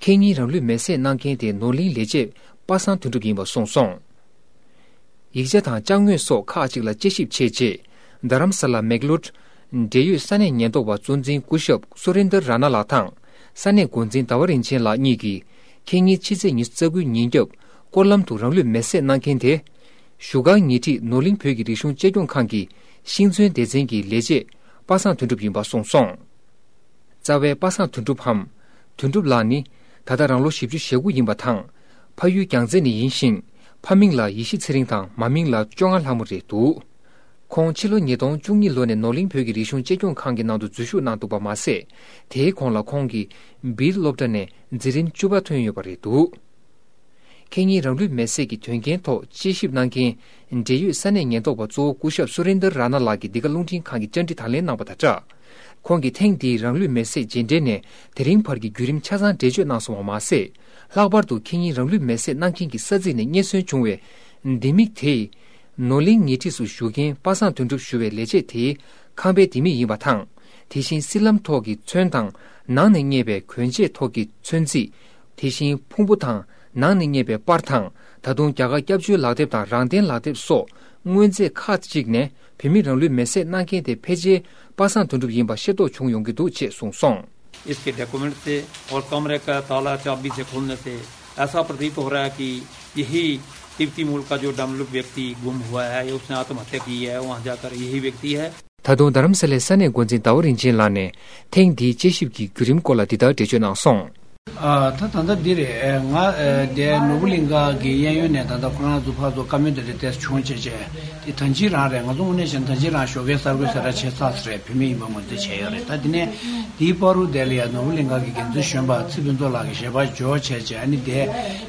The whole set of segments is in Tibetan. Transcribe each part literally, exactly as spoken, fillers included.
ཁེ་གཉིས་རང་ལུས་མེར་སྲེག་གནང་མཁན་དེ་ནོར་གླིང་ལས་བྱེད་པ་སངས་དོན་གྲུབ་ཡིན་པ་གསུངས་སོང་། ཡིག་ཆ་དང་ཅ་དངོས་སོགས་ཁག་ཅིག་ལ་དཔྱད་ཞིབ་བྱས་རྗེས། རྡ་རམ་ས་ལ་མེག་ལོར་འབྲེལ་ཡོད་ས་གནས་ཉེན་རྟོག་པ་གཙོ་འཛིན་སྐུ་ཞབས་སུ་རིན་དར་ར་ན་ལགས་དང་། ས་གནས་འགོ་འཛིན་ཟླ་བ་རིན་ཆེན་ལགས་གཉིས་ཀྱིས། ཁེ་གཉིས་ཕྱི་ཚེས་ཉི་ཤུ་རྩ་དགུའི་ཉིན་རྒྱབ་སྐོར་ལམ་དུ་རང་ལུས་མེར་སྲེག་གནང་མཁན་དེ། བཞུགས་སྒར་ཉེ་འཁྲིས་ནོར་གླིང་བོད་ཀྱི་རིག་གཞུང་གཅེས་སྐྱོང་ཁང་གི་ཤིང་བརྩོན་སྡེ་ཚན་གྱི་ལས་བྱེད་པ་སངས་དོན་གྲུབ་ཡིན་པ་གསུངས་སོང་། རྩ་བའི་པ་སངས་དོན་གྲུབ་འམ། དོན་གྲུབ་ལགས་ནི། ད་ལྟ་རང་ལོ་བཞི་བཅུ་ཞེ་དགུ་ཡིན་པ་དང་། ཕ་ཡུལ་རྒྱལ་རྩེ་ནས་ཡིན་ཞིང་། ཕ་མིང་ལ་ཡེ་ཤེས་ཚེ་རིང་དང་མ་མིང་ལ་བཅོ་ལྔ་ལྷ་མོ་རེད་འདུག་ཁོང་ཕྱི་ལོ་ཉིས་སྟོང་བཅུ་གཉིས་ལོ་ནས་ནོར་གླིང་བོད་ཀྱི་རིག་གཞུང་གཅེས་སྐྱོང་ཁང་གི་ནང་དུ་འཛུལ་ཞུགས་གནང་འདུག་པ་མ་ཟད། དེའི་གོང་ལ་ཁོང་གིས་བིལ་སློབ་གྲྭ་ནས་འཛིན་རིམ་བཅུ་པ་ཐོན་ཡོད་པ་རེད་འདུག་ཁེ་གཉིས་རང་ལུས་མེར་སྲེག་གི་དོན་རྐྱེན་ཐོག་དཔྱད་ཞིབ་གནང་མཁན་འབྲེལ་ཡོད་ས་གནས་ཉེན་རྟོག་པ་གཙོ་བོ་སྐུ་ཞབས་སུ་རིན་དར་ར་ན་ལགས་ཀྱིས་འདི་ག་རླུང་འཕྲིན་ཁང་གི་བཅར་འདྲི་དང་ལེན་གནང་པ་དང་སྦྲགས། ཁོང་གིས་ཐེངས་འདིའི་རང་ལུས་མེར་སྲེག་རྗེས་འབྲེལ་ནས་དེ་རིང་བར་གྱི་བརྒྱུད་རིམ་ཆ་ཚང་འགྲེལ་བརྗོད་གནང་སོང་བ་མ་ཟད། ལྷག་པར་དུ་ཁེ་གཉིས་རང་ལུས་མེར་སྲེག་གནང་མཁན་གྱི་ས་ཚིགས་ནས་རྙེད་སོན་བྱུང་བའི་ལྡེ་མིག་དེས། ནོར་གླིང་ཉེ་འཁྲིས་སུ་བཞུགས་མཁན་པ་སངས་དོན་གྲུབ་ཞུ་བའི་ལས་བྱེད་དེའི་ཁང་པའི་ལྡེ་མིག་ཡིན་པ་དང་། དེ་བཞིན་སྲིད་ལམ་ཐོག་གི་ཚོན་དང་ནང་ནས་རྙེད་པའི་གོན་ཆས་ཐོག་གི་ཚོན་རྩིས། དེ་བཞིན་ཕུང་པོ་དང་ནང་ནས་རྙེད་པའི་པར་དང་། ད་དུང་རྒྱ་གར་སྐྱབས་བཅོལ་ལག་དེབ་དང་རང་བརྟེན་ལག་དེབ་སོགས་དངོས་རྫས་ཁག་ཅིག་ནས་བོད་མི་རང་ལུས་མེར་སྲེག་གནང་མཁན་དེ་ཕལ་ཆེར་པ་སངས་དོན་གྲུབ་ཡིན་པ་ཤེས་རྟོགས་བྱུང་ཡོང་གི་འདུག་ཅེས་གསུངས་སོང་། इसके डॉक्यूमेंट थे और कमरे का ताला चाबी से खोलने से ऐसा प्रतीत हो रहा है कि यही तिब्बती मूल का जो डमलुप व्यक्ति गुम हुआ है, उसने आत्महत्या की है, वहाँ जाकर यही व्यक्ति है। ད་དུང་རྡ་རམ་ས་ལའི་ས་གནས་འགོ་འཛིན་ཟླ་བ་རིན་ཆེན་ལགས་ནས་ཐེངས་འདིའི་དཔྱད་ཞིབ་ཀྱི་བརྒྱུད་རིམ་སྐོར་ལ་འདི་ལྟར་འགྲེལ་བརྗོད་གནང་སོང་། ཨ། ད་ད་ལྟ་འདི་རེད། ང་ཨ་དེ་ནོར་བུ་གླིང་ག་གི་གཡས་གཡོན་ནས་ད་ལྟ་ཁོ་རང་ཚོ་ཕར་ཚུར་བཀའ་མོལ་དེ་འདྲ་ཏོག་ཙམ་བྱུང་བྱས་བྱས། དེ་ད་ཅི་རང་རེད། ང་ཚོ་དངོས་གནས་བྱས་ན་ད་ཅི་རང་ཞོགས་ཀའི་གསར་འགོད་གསལ་བསྒྲགས་བྱས་ཚར་ས་རེད། བོད་མི་ཡིན་པ་ངོས་འཛིན་བྱས་ཡོད་རེད། ད་དེ་ནས་དེའི་བར་དུ་དེ་ལ་ཡ་ནོར་བུ་གླིང་ག་གི་འགན་འཛིན་གཞོན་པ་ཚེ་ཕུན་ཚོགས་ལགས་ཀྱི་ཞལ་པར་འབྱོར་བྱས་བྱས། ཨ་ནི་དེ་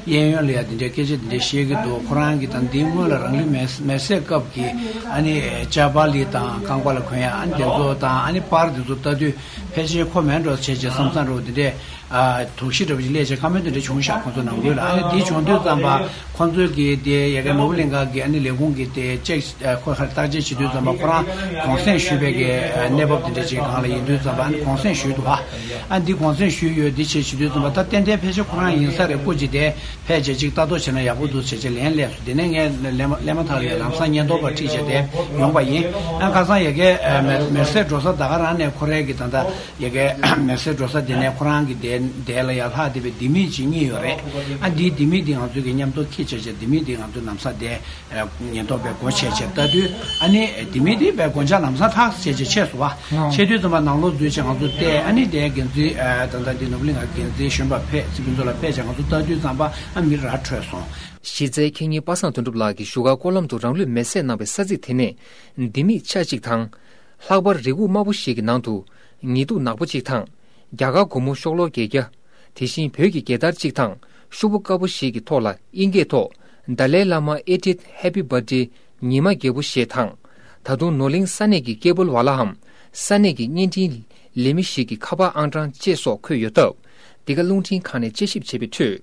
གཡས་གཡོན་ལ་ཡ་དེ་འདྲའི་སྐད་ཆ་དེ་འདྲ་བཤད་ཀྱི་འདུག་ཁོ་རང་གིས་ད་འདིའི་སྔོན་ལ་རང་ལུས་མེར་མེར་སྲེག་སྐབས་ཀྱི་ཨ་ནི་ཅ་པ་ལི་དང་རྐང་པ་ལ་གོན་ཡ་ཨ་ནི་དེ་ཚོ་དང་ཨ་ནི་པར་དེ་ཚོ་ལྟ་དུས་ཕལ་ཆེར་ཁོ་མེད་འགྲོ་བྱས་བྱས་བསམ་བསམ་འདྲ་བོ་དེ་འདྲས། ཨ། དོགས་གཞི་འདྲ་བོ་ཞིག་སླེབས་བྱས་བཀའ་མོལ་དེ་འདྲ་བྱུང་ཤག་ཁོང་ཚོ་ནང་ཁུལ་ལ། ཨ་ནི་དེ་བྱུང་དུས་ཙམ་པ་ཁོང་ཚོས་ཀྱིས་དེ་ཡ་གི་ནོར་བུ་གླིང་ག་གི་ཨ་ནི་ལས་ཁུངས་ཀྱིས་དེ་ཅེག་ཨ། ཁོ་ཧ་བརྟག་དཔྱད་བྱེད་དུས་ཙམ་པ་ཁོ་རང་གུང་སེང་ཞུས་པའི་གི་ཨ། གནས་བབ་དེ་འདྲ་ཅིག་སྒང་ལ་ཡིན་དུས་ཙམ་པ་ཨ་ནི་གུང་སེང་ཞུས་འདུག་ག་ཨ་ནི་འདི་གུང་སེང་ཞུས་ཡོད་འདི་བྱས་བྱེད་དུས་ཙམ་པ་ད་ཏན་ཏན་ཕལ་ཆེར་ཁོ་རང་ཡིན་ས་རེད། སྐུ་མཁྱེན་དེ་ཕལ་ཆེར་ཅིག་ལྟ་རྟོག་བྱས་ན་ཡག་པོ་འདུག་བྱས་བྱས་ལན་སླེབས་སོང་། དེ་ནས་ངས་སླེབས་མ་སླེབས་མ་ཐག་ལ་ཡ་ལམ་སང་ཉེན་རྟོག་པ་ཁྲིད་བྱས་དེ་ཡོང་པ་ཡིན། ཨ་ཁ་སང་ཡ་གི་ཨ། མེར་མེར་སྲེག་འགྲོ་ས་ད་ག་རང་ནས་ཁོ་རའི་གི་ད་ལྟ། ཡ་གི་མེར་སྲེག་འགྲོ་ས་དེ་ནས་ཁོ་རང་གི་དེ་དེ་ལ་ཡ་ལྷག་བསྡད་པའི་ལྡེ་མིག་ཅིག་རྙེད་ཡོད་རེད། ཨ་འདིའི་ལྡེ་མིག་འདི་ང་ཚོས་ཀྱི་མཉམ་དུ་འཁྱེར་བྱས་བྱས་ལྡེ་མིག་འདི་ང་ཚོས་ལམ་སང་དེ་ཉེན་རྟོག་པས་སྒོ་ཕྱེ་བྱས་ལྟ་དུས་ཨ་ནི་ལྡེ་མིག་འདི་པའི་སྒོ་ལྕགས་ལམ་སང་ཐག་བྱས་བྱས་ཕྱེ་སོང་བ། ཕྱེ་དུས་ཙམ་པ་ནང་ལོགས་འཛུལ་བྱས་ང་ཚོ་བལྟས། ཨ་ནི་དེ་འགན་འཛིན་ཨ་ད་ལྟ་འདི་ནོར་བུ་གླིང་ག་འགན་འཛིན་གཞོན་པ་ཕེབས་ཚེ་ཕུན་ཚོགས་ལགས་ཕེབས་བྱས་ང་ཚོ་ལྟ་དུས་ཙམ་པ་ཨ་མི་ར་འཕྲོད་སོང་། གཞི་རྩའི་ཁེ་གཉིས་པ་སངས་དོན་གྲུབ་ལགས་ཀྱིས་བཞུགས་སྒར་སྐོར་ལམ་དུ་རང་ལུས་མེར་སྲེག་གནང་བའི་ས་ཚིགས་དེ་ནས་ལྡེ་མིག་ཆ་གཅིག་དང་། ལྷག་པར་རི་ཁུག་དམར་པོ་ཞིག་གི་ནང་དུ་ཉི་གདུགས་ནག་པོ་གཅིག་དང་། རྒྱ་གར་སྒོར་མོ་ཤོག་ལོར་བརྒྱད་བརྒྱ། དེ་བཞིན་བོད་ཀྱི་རྒྱལ་དར་གཅིག་དང་ཤོག་བུ་དཀར་པོ་ཞིག་གི་ཐོག་ལ་དབྱིན་སྐད་ཐོག Dalai Lama eightieth Happy Birthday ཉི་མ་རྒྱལ་པོ་ཞེས་དང་། ད་དུང་ནོར་གླིང་ས་གནས་ཀྱི་ཀེ་བལ་ཝ་ལའམ་ས་གནས་ཀྱི་བརྙན་འཕྲིན་ལས་མི་ཞིག་གི་ཁ་པར་ཨང་གྲངས་བཅས་སོགས་འཁོད་ཡོད་སྟབས། འདི་ག་རླུང་འཕྲིན་ཁང་ནས་དཔྱད་ཞིབ་བྱས་པའི་ཁྲོད།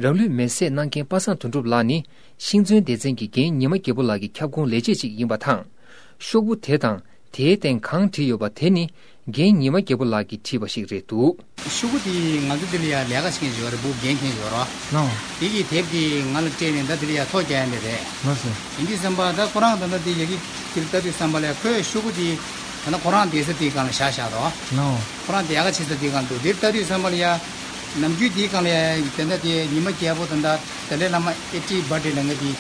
རང་ལུས་མེར་སྲེག་གནང་མཁན་པ་སངས་དོན་གྲུབ་ལགས་ནི་ཤིང་བརྩོན་སྡེ་ཚན་གྱི་རྒན་ཉི་མ་རྒྱལ་པོ་ལགས་ཀྱི་ཁྱབ་ཁོངས་ལས་བྱེད་ཅིག་ཡིན་པ་དང་། ཤོག་བུ་དེ་དང་དེའི་སྟེང་གང་བྲིས་ཡོད་པ་དེ་ནི་རྒན་ཉི་མ་རྒྱལ་པོ་ལགས་ཀྱིས་བྲིས་པ་ཞིག་རེད་འདུག་ཤོག་བུ་དེ་ང་ཚོ་འདི་ལ་ཡ་ལས་ཀ་བྱེད་མཁན་ཞིག་ཡོད་རེད། བུ་རྒན་མཁན་ཞིག་ཡོད་རེད། ལགས། དེ་གིས་དེབ་དེ་ང་ལ་སྤྲད་ནས་ད་འདི་ལ་ཡ་ཐོ་རྒྱག་ཡ་འདི་རེད། ལགས་སོ། ཡིན་དུས་ཙམ་པ་ད་ཁོ་རང་ད་ལྟ་དེ་ཡ་གི་དེ་ལ་ལྟ་དུས་ཙམ་པ་ལ་ཡ་ཁོས་ཤོག་བུ་དེ་ད་ལྟ་ཁོ་རང་བསྡད་ས་དེའི་སྒང་ལ་བཞག་བཞག་འདུག་ལགས། ཁོ་རང་དེ་ལས་ཀ་བྱེད་ས་དེའི་སྒང་འདུག་དེར་ལྟ་དུས་ཙམ་པ་ལ་ཡ། ནམ་རྒྱུན་དེའི་སྒང་ལ་ཡ་ད་ལྟ་དེ་ཉི་མ་རྒྱལ་པོ་ད་ལྟ་དཱ་ལའི་བླ་མ་ཨེ་ཊི་བྷར་ཌེ་ལ་ངས་དེ་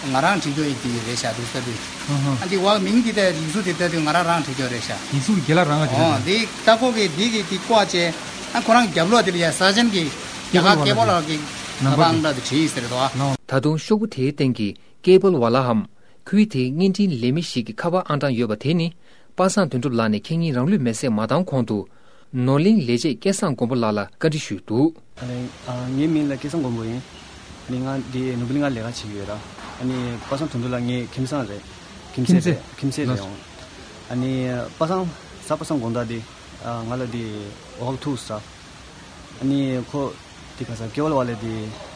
ང་རང་བྲིས་རྒྱུ་ཡིན་དེ་རེད་ཤག་འདུག་ལྟ་དུས། ཨ་ཧ། ཨ་འདི་བ་མིང་འདི་ད་ཡིག་གཟུགས་དེ་ལྟ་དུས་ང་རང་རང་བྲིས་རྒྱུ་རེད་ཤག་ཡིག་གཟུགས་རྒན་ལགས་རང་ག་བྲིས་ཨོ་རེད། དེ་ལྟ་སྐོར་གི་དེ་གི་དེ་བཀོག་བྱས། ཨ་ཁོ་རང་རྒྱབ་ལོགས་དེ་ལ་ཡ་ས་ཆེན་གི་རྒྱ་གར་ཀེ་བལ་ཝ་ལ་གི་ཁ་པར་ཨང་གྲངས་དེ་བྲིས་ཡིན་ཟེར་དོ། ད་དུང་ཤོག་བུ་དེའི་སྟེང་གི་ཀེ་བལ་ཝ་ལའམ། ཁུལ་དེའི་བརྙན་འཕྲིན་ལས་མི་ཞིག་གི་ཁ་པར་ཨང་གྲངས་ཡོད་པ་དེ་ནི། པ་སངས་དོན་གྲུབ་ལགས་ནས་ཁེ་གཉིས་རང་ལུས་མེར་སྲེག་མ་བཏང་གོང་དུ། ནོར་གླིང་ལས་བྱེད་སྐལ་བཟང་མགོན་པོ་ལགས་ལ་བཀའ་འདྲི་ཞུས་འདུག་ཨ་ནི་ཨ་ངའི་མིང་ལ་སྐལ་བཟང་མགོན་པོ་ཡིན། ཨ་ནི་ང་འདི་ནོར་བུ་གླིང་ལ་ལས་ཀ་བྱེད་ཀྱི་ཡོད་ར། ཨ་ནི་པ་སངས་དོན་གྲུབ་ལགས་ངའི་ཁྱིམ་ཚང་རེད། ཁྱིམ་མཚེས་ཁྱིམ་མཚེས། རེད། ཁྱིམ་མཚེས་རེད་ཡོང་། ཨ་ནི་པ་སངས་གཟའ་པ་སངས་དགོང་དག་འདི་ཨ་ང་ལ་འདི་འོག་ཐུག་ས། ཨ་ནི་ཁོ་དེ་ག་ས་ཀེ་བལ་ཝ་ལ་དེ་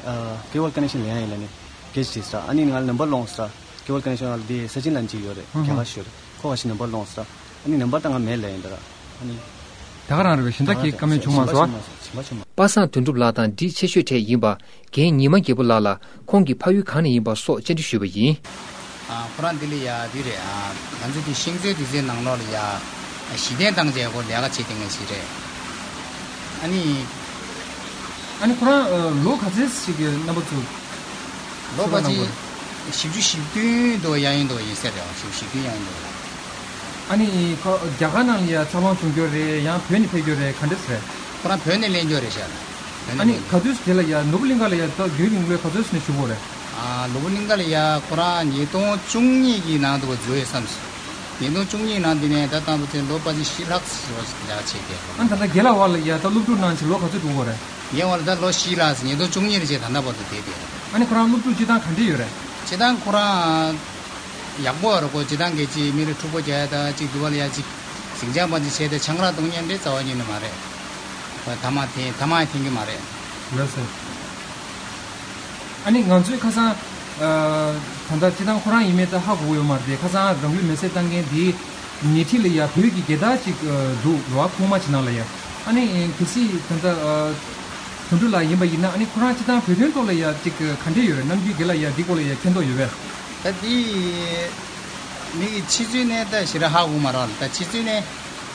ཨ་ཀེ་བལ་ཀ་ནེག་ཤན་ལེན་ཡ་ཡིན་ལ་ནི་སྐད་ཆ་དྲིས་ས། ཨ་ནི་ང་ལ་ནམ་བར་སློང་ས། ཀེ་བལ་ཀ་ནེག་ཤན་ལ་དེ་ས་ཆེན་ལ་ཅིག་ཡོད་རེད། ཨ་ཧ། རྒྱ་གར་ཤོད་རེད། ཁོ་ག་ཤི་ནམ་བར་སློང་ས། ཨ་ནི་ནམ་བར་ད་ང་མེད་ལ་ཡིན་ད་ར། ཨ་ནི་ ད་ག་རང་རེད་པས། གཞན་དག་གིས་བཀའ་མོལ་བྱུང་མ་སོང་། པ་སངས་དོན་གྲུབ་ལགས་དང་འདྲིས་ཆེ་ཤོས་གྲས་ཡིན་པ་རྒན་ཉི་མ་རྒྱལ་པོ་ལགས་ལ་ཁོང་གི་ཕ་ཡུལ་གང་ནས་ཡིན་པ་སོགས་བཅར་འདྲི་ཞུས་པ་ཡིན། ཨ། ཁོ་རང་འདི་ལ་ཡ་འདི་རེད། ཨ། ང་ཚོ་འདི་ཤིང་བཟོའི་སྡེ་ཚན་ནང་ལོགས་ལ་ཡ་གཞི་རྟེན་བཏང་བྱས་ཁོ་ལས་ཀ་བྱེད་བསྡད་མཁན་ཞིག་རེད། ཨ་ནི། ཨ་ནི་ཁོ་རང་ཨ་ལོ་ག་ཚོད་ཞིག་གི་རྣམ་པ་ཚོ། ལོ་ཕལ་ཆེར་བཞི་བཅུ་ཞེ་བདུན་དུ་ཡང་ཡིན་འདུག་ཡིན་ས་རེད། བཞི་བཅུ་ཞེ་བདུན་ཡང་ཡིན་འདུག་ཨ་ནི་ཁོ་རྒྱ་གར་ནང་ལ་ཡ་འཚར་ལོངས་བྱུང་རྒྱུ་རེད། ཡང་བོད་ནས་ཕེབས་རྒྱུ་རེད། ག་འདྲས་རེད། ཁོ་རང་བོད་ནས་ལེན་རྒྱུ་རེད་ཤག་བོད་ནས་ཨ་ནི་ལེན་རྒྱུ། ག་དུས་དེ་ལ་ཡ་ནོར་བུ་གླིང་ག་ལ་ཡ་ད་རྒྱུན་རིང་ལོས་ག་ཚོད་ནས་བཞུགས་པ་རེད། ཨ། ནོར་བུ་གླིང་ག་ལ་ཡ་ཁོ་རང་ཉིས་སྟོང་བཅུ་གཉིས་ཀྱི་ནང་དུ་འཛུལ་ཡོད་བསམ་སོང་། ཉིས་སྟོང་བཅུ་གཉིས་ནང་འདི་ནས་ད་ལྟ་བུ་ཚེ་ལོ་ཕལ་ཆེར་བཞི་ལྷག་ཙམ་ལས་ཀ་བྱས་བསྡད་ཡོད། ཨ་ད་ལྟ་རྒན་ལགས་བར་ལ་ཡ་ད་སློབ་ཕྲུག་ནང་ཆེ་ལོ་ག་ཚོད་འདུག་གོ་རེད། ངའི་བར་ལ་ད་ལོ་བཞི་ལྷག་ཙམ། ཉིས་སྟོང་བཅུ་གཉིས་ནས་བྱས་ད་ལྟ་བར་དུ་བསྡད་བསྡད་ཡོད། ཨ་ནི་ཁོ་རང་སློབ་ཕྲུག་སྤྱིར་བཏང་ག་འདྲས་ཡོད་རེད། སྤྱིར་བཏང་ཁོ་རང་ཡག་པོ་ཡོད་རེད་གོ། སྤྱིར་བཏང་གལ་ཆེ་མི་རེ་འཁྲུག་པོ་རྒྱག་ཡ་ད་ཅིག་འདུག་བ་ལ་ཡ་ཅིག་ཟིང་ཆ་མ་ཅིག་བྱས་ཏེ་ཆང་རག་འཐུང་མཁན་དེ་རྩ་བ་ཉིད་ནས་མ་རེད། ཐ་མག་འཐེན་ཐ་མག་འཐེན་གྱི་མ་རེད། ལགས་སོ། ཨ་ནི་ང་ཚོས་ཁ་སང་ཨ་ད་ལྟ་སྤྱིར་བཏང་ཁོ་རང་ཡིན་མིན་ད་ཧ་གོ་གི་ཡོད་མ་རེད་དེ། ཁ་སང་རང་ལུས་མེར་སྲེག་བཏང་མཁན་དེའི་ཉེ་འཁྲིས་ལ་ཡ་བོད་ཀྱི་རྒྱལ་དར་ཅིག་ཨ་འདུག་རེད་བ། ཁུག་མ་ཅིག་ནང་ལ་ཡ། ཨ་ནི་གལ་སྲིད་ད་ལྟ་ཨ་དོན་གྲུབ་ལགས་ཡིན་པ་ཡིན་ན། ཨ་ནི་ཁོ་རང་སྤྱིར་བཏང་བོད་དོན་ཐོག་ལ་ཡ་ཅིག་ག་འདྲས་ཡོད་རེད། ནམ་རྒྱུན་རྒན་ལགས་ཡ་འདི་སྐོར་ལ་ཡ་མཁྱེན་རྟོགས་ཡོད་པས། ད་འདི་མི་གི་ཕྱི་ཚུལ་ནས་ད་ཞེ་དྲག་ཧ་གོ་མ་རེད་ལ། ད་ཕྱི་ཚུལ་ནས་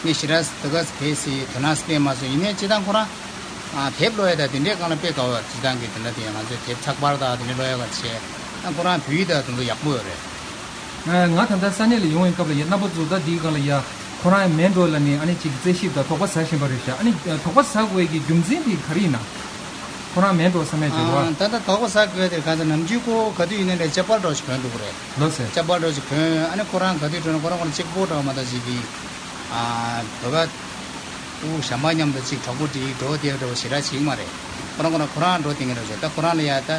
ངས་ཞེ་དྲག་ད་ག་གལ་སྲིད་དོ་སྣང་སྤྲད་མ་སོང་། ཡིན་ནའི་སྤྱིར་བཏང་ཁོ་རང་ཨ་དེབ་ཀློག་ཡ་ད་དེ་འདྲའི་སྒང་ལ་དཔེ་དགའ་བ། སྤྱིར་བཏང་གི་དེ་འདྲ་དེ་ང་ཚོས་དེབ་ཚགས་པར་དང་དེ་འདྲ་ཀློག་ཡ་ག་བྱས། ཨ་ཁོ་རང་བོད་ཡིག་ད་དེ་ཚོ་ཡག་པོ་ཡོད་རེད། ང་ད་ལྟ་ས་གནས་ལ་ཡོང་བའི་སྐབས་ལ་ཡ་རྣམ་པ་ཚོ་ད་འདིའི་སྒང་ལ་ཡ་ཁོ་རང་མེད་འགྲོ་ལབ་ནས་ཨ་ནི་ཅིག་རྩད་ཞིབ་དང་དོགས་པ་ཟ་བཞིན་པ་རེད་ཤག་ཨ་ནི་དོགས་པ་ཟ་དགོས་ཀྱི་རྒྱུ་མཚན་དེ་ག་རེ་ཡིན་ན། ཁོ་རང་མེད་འགྲོ་བསམ་ཡ་ཅིག་རེད་བ། ཨ་ད་ལྟ་དོགས་པ་ཟ་དགོས་དེ་ག་ཚོད་ནམ་རྒྱུན་ཁོ་ག་དུས་ཡིན་ན་ལས་ཅ་པལ་འདྲ་ཞིག་གོན་འདུག་གི་རེད། ལགས་སེ། ཅ་པལ་འདྲ་ཞིག་གོན། ཨ་ནི་ཁོ་རང་ག་དུས་འགྲོ་ན་ཁོ་རང་ཁོ་རང་གཅིག་པོ་འདྲ་བ་མ་གཏོགས་ཅིག་གི་ཨ་བོད་པ་ཕྲུ་གུ་གཞན་པ་མཉམ་དུ་ཅིག་གྲོགས་པོ་སྒྲིག་འགྲོ་བསྡད་འདྲ་བ་ཞེ་དྲག་བྱེད་ཀྱི་མ་རེད། ཁོ་རང་ཁོ་རང་ཁོ་རང་འགྲོ་བསྡད་མཁན་འདྲ་བ་ཞིག་ད་ཁོ་རང་ལ་ཡ་ད།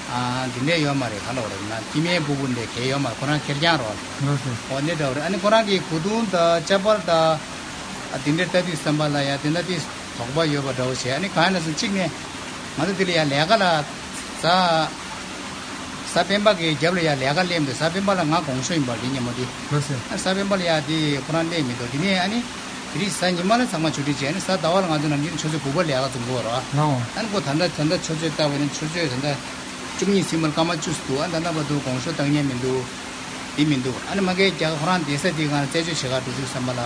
ཨ་འདི་འདྲས་ཡོད་མ་རེད། ག་ལབ་རེད་ན་སྐྱེ་དམན་སྤུ་གུ་འདྲས་གལ་ཡོད་མ་རེད། ཁོ་རང་ཁེར་རྐྱང་རོགས། ལགས་སོ། འོ་འདི་འདྲ་བ་རེད། ཨ་ནི་ཁོ་རང་གི་གོས་ཐུང་དང་ཅ་པལ་དང་ཨ་དེ་འདྲས་ལྟ་དུས་ཙམ་པ་ལ་ཡ་དེ་འདྲ་དེ་དོགས་པ་ཡོད་པ་འདྲ་བོ་བྱས། ཨ་ནི་གང་ཡིན་ན་སོང་གཅིག་ནས་ང་ཚོ་འདི་ལ་ཡ་ལས་ཀ་ལ་གཟའ་གཟའ་སྤེན་པ་གི་རྒྱབ་ལ་ཡ་ལས་ཀ་སླེབས་འདུག་གཟའ་སྤེན་པ་ལ་ང་དགོང་ཞོགས་ཡིན་པ་འདི་སྙམ་མོ་དེ། ལགས་སོ། ཨ་གཟའ་སྤེན་པ་ལ་ཡ་དེ་ཁོ་རང་སླེབས་མི་འདུག་དེ་ནས་ཨ་ནི་དེ་རིང་གཟའ་ཉི་མ་ལ་ཚང་མ་ཆུ་ཚོད་བྱས། ཨ་ནི་གཟའ་ཟླ་བ་ལ་ང་ཚོ་ནམ་རྒྱུན་ཆུ་ཚོད་དགུ་པ་ལས་ཀ་འཛོམས་དགོས་རེད་བ། ལའོ། ཨ་ནི་ཁོ་ད་ལྟ་ད་ལྟ་ཆུ་ཚོད་ལྟ་བ་ནི་ཆུ་ཚོད་ད་ལྟ་བཅུ་གཉིས་ཟིན་པར་སྐར་མ་བཅུ་ཙམ་འདུག་ཨ་ད་ལྟ་བར་དུ་དགོང་ཞོགས་བཏང་མཁན་མི་འདུག་འདི་མི་འདུག་ཨ་ནི་མ་གིར་རྒྱ་གར་ཁོ་རང་བསྡད་ས་དེའི་སྒང་ལ་རྩད་གཅོད་བྱེད་གར་འགྲོ་དུས་ཙམ་པ་ལ།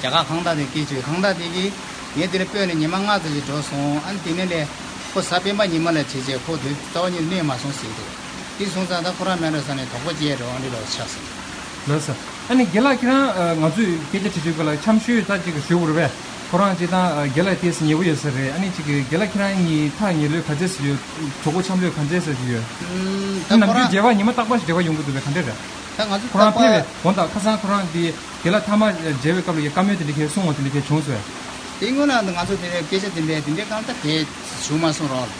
རྒྱ་གར་ཁང་བདག་དེ་སྐད་ཅིག་ཁང་བདག་དེ་གིས་ངས་དེ་ལ་སྤོས་ནས་ཉི་མ་ལྔ་ཙམ་ཞིག་འགྲོ་སོང་། ཨ་ནི་དེ་ནས་ལས་ཁོ་གཟའ་སྤེན་པ་ཉི་མ་ལ་བྱས་རྗེས་ཁོ་དུས་རྩ་བ་ཉིད་གནས་མ་སོང་ཟེར་འདུག་དེ་སོང་ཙང་ད་ཁོ་རང་མེད་འགྲོ་ས་ནས་དོགས་པ་སྐྱེས་འགྲོ། ཨ་འདི་ལོག་ཆགས་སོང་། ལགས་སོ། ཨ་ནི་རྒན་ལགས་ཁྱེད་རང་ཨ་ང་ཚོས་སྐད་ཆ་དྲི་དུས་སྐབས་ལ་འཆམ་ཤོས་ད་ཅིག་ཞུ་དགོས་རེད་པས། ཁོ་རང་སྤྱིར་བཏང་ཨ་རྒན་ལགས་ཏོག་ཙམ་ཉེ་པོ་ཡོད་ས་རེད། ཨ་ནི་ཅིག་རྒན་ལགས་ཁྱེད་རང་གཉིས་ཐག་ཉེ་ལོས་ག་ཚད་ཙམ་ཡོད། གྲོགས་པོ་འཆམ་ལོས་ག་ཚད་ཙམ་ཡོད། ད་ནམ་ཁོ་རྒྱུན་རྒྱལ་བ་ཉི་མ་རྟག་པར་ཞིག་འབྲེལ་བ་ཡོང་གི་འདུག་པས། ག་འདྲས་རེད། ད་ང་ཚོ་ཁོ་རང་རྟག་པར་ཕེབས་པའི་དགོངས་དག་ཁ་སང་ཁོ་རང་འདི་རྒན་ལགས་ཐ་མག་མཇལ་བའི་སྐབས་ལ་ཡ་བཀའ་མོལ་དེ་འདྲ་གས་གསུང་བ་དེ་འདྲ་གས་བྱུང་སོང་། དེ་སྔོན་ལ་ང་ཚོ་དེ་འདྲའི་སྐད་ཆ་དེ་འདྲའི་དེ་འདྲའི་གང་ལྟར་གས་བྱུང་མ་སོང་རོགས།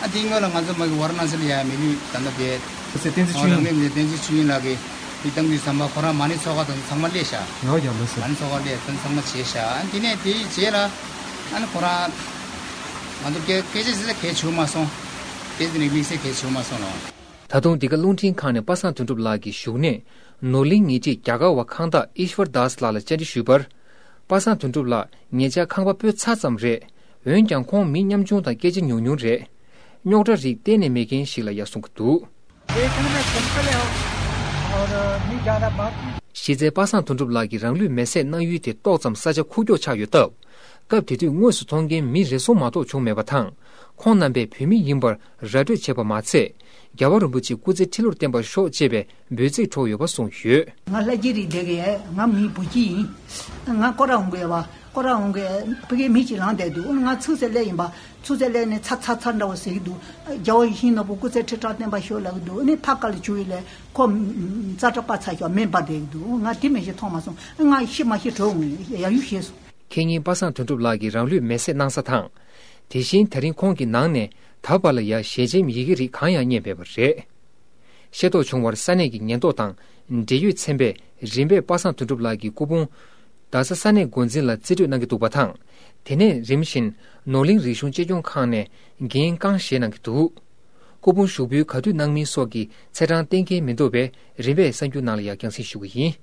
ཨ་དེ་སྔོན་ལ་ང་ཚོ་མ་གི་ཝཱ་ར་ཎ་སི་ལ་ཡ་མི་ལུས་ད་ལྟ་དེ་བསྟན་འཛིན་ཆོས་དབྱིངས། རང་མེད་མི་བསྟན་འཛིན་ཆོས་དབྱིངས་ལགས་ཀྱིས་དེ་བཏང་དུས་ཙམ་པ་ཁོ་རང་མ་ཎི་ཚོགས་ཁག་དང་ཚང་མ་སླེབས་ཤག་ཡོ་ཡོ་ལགས་སོ། མ་ཎི་ཚོགས་ཁག་སླེབས་དང་ཚང་མ་བྱས་ཤག་ཨ་དེ་ནས་དེའི་རྗེས་ལ་ཨ་ནི་ཁོ་རང་ང་ཚོ་སྐད་སྐད་ཆ་ཟེར་ས་གས་བྱུང་མ་སོང་། དེ་དེ་ནས་དམིགས་བསལ་གས་བྱུང་མ་སོང་ལོ། ད་དུང་འདི་ག་རླུང་འཕྲིན་ཁང་ནས་པ་སངས་དོན་གྲུབ་ལགས་ཀྱི་བཞུགས་གནས་ནོར་གླིང་ཉེ་འཁྲིས་རྒྱ་གར་བ་ཁང་བདག་ཨིཤ་ཝར་དཱས་ལགས་ལ་བཅར་འདྲི་ཞུས་པར། པ་སངས་དོན་གྲུབ་ལགས་ཉེ་ཆར་ཁང་པ་སྤོས་ཚར་ཙམ་རེད། འོན་ཀྱང་ཁོང་མི་ཉམ་ཆུང་དང་སྐད་ཆ་ཉུང་ཉུང་རེད། རྙོག་དྲ་རིགས་གཏན་ནས་མེད་མཁན་ཞིག་ལ་ཡ་གསུང་གི་འདུག་དེ་ཐང་ན་ཁོང་ཁ་ལས་ཨོ་མི་རྒྱ་ར་བ། གཞི་རྩའི་པ་སངས་དོན་གྲུབ་ལགས་ཀྱིས་རང་ལུས་མེར་སྲེག་གནང་ཡུལ་དེ་ཏོག་ཙམ་ས་ཆ་ཁུག་ཀྱོག་ཆགས་ཡོད་སྟབས། སྐབས་དེ་དུས་དངོས་སུ་མཐོང་མཁན་མི་རེ་ཟུང་མ་གཏོགས་བྱུང་མེད་པ་དང་། ཁོང་རྣམ་པས་བོད་མི་ཡིན་པར་ར་སྤྲོད་བྱས་པ་མ་ཚད། རྒྱལ་བ་རིན་པོ་ཆེ་སྐུ་ཚེ་ཁྲི་ལོར་བརྟན་པར་ཤོག་ཅེས་པའི་འབོད་ཚིག་འཁྲོག་ཡོད་པ་གསུངས་ཡོད། ང་ལྷ་རྗེ་རིགས་ལྡན་གྱི་ང་མི་བུ་སྐྱིད་ཡིན། ང་སྐོར་ར་འོང་གི་ཡོད་པ། སྐོར་ར་འོང་གི་ཕ་གིའི་མི་གཅིག་ལངས་བསྡད་འདུག་ང་ཚུར་ཚེ་སླེབས་ཡིན་པ། ཚུར་ཚེ་སླེབས་ནས་ཚ་ཚ་ཚ་འདྲ་བོ་ཟེར་གྱི་འདུག་རྒྱལ་བ་ཡིད་བཞིན་ནོར་བུ་སྐུ་ཚེ་ཁྲི་ཕྲག་བརྟན་པར་ཤོག་ལབ་གི་འདུག་ཨ་ནི་ཕར་ཁ་ལ་བྱུགས་ཡིན་ལས་ཁོ་རྩ་ཁྲག་པ་ཚ་ཤོག་མེ་འབར་བསྡད་གི་འདུག་ང་དེ་མི་ཤེས་མཐོང་མ་སོང་། ང་ཤི་མ་ཤི་གྲོད་འོང་ཡ་ཡུ་ཤེས་སོང་། ཁེ་ཉིན་པ་སངས་དོན་གྲུབ་ལགས་ཀྱིས་རང་ལུས་མེར་སྲེག་གནང་ས་དང་། དེ་བཞིན་ད་རིང་ཁོང་གི་ནང་ནས་ད་བར་ལ་ཡ་ཞལ་ཆེམས་ཡི་གེ་རིགས་གང་ཡང་རྙེད་མེད་པ་རེད། ཤེས་རྟོགས་བྱུང་བར་ས་གནས་ཀྱི་ཉེན་རྟོག་དང་འབྲེལ་ཡོད་ཚན་པས་རིམ་པས་པ་སངས་དོན་གྲུབ་ལགས་ཀྱི་སྐུ་ཕུང་རྡ་ས་ས་གནས་འགོ་འཛིན་ལ་རྩིས་སྤྲོད་གནང་གི་འདུག་པ་དང་། དེ་ནས་རིམ་བཞིན་ནོར་གླིང་རིག་གཞུང་གཅེས་སྐྱོང་ཁང་ནས་འགན་རྐང་བཞེས་གནང་གི་འདུག་སྐུ་ཕུང་ཞུགས་འབུལ་ག་དུས་གནང་མིན་སོགས་ཀྱི་ཚེས་གྲངས་གཏན་འཁེལ་མི་འདུག་པས། རིམ་པས་གསར་འགྱུར་ནང་ལ་ཡང་རྒྱང་སྲིང་ཞུ་གི་ཡིན།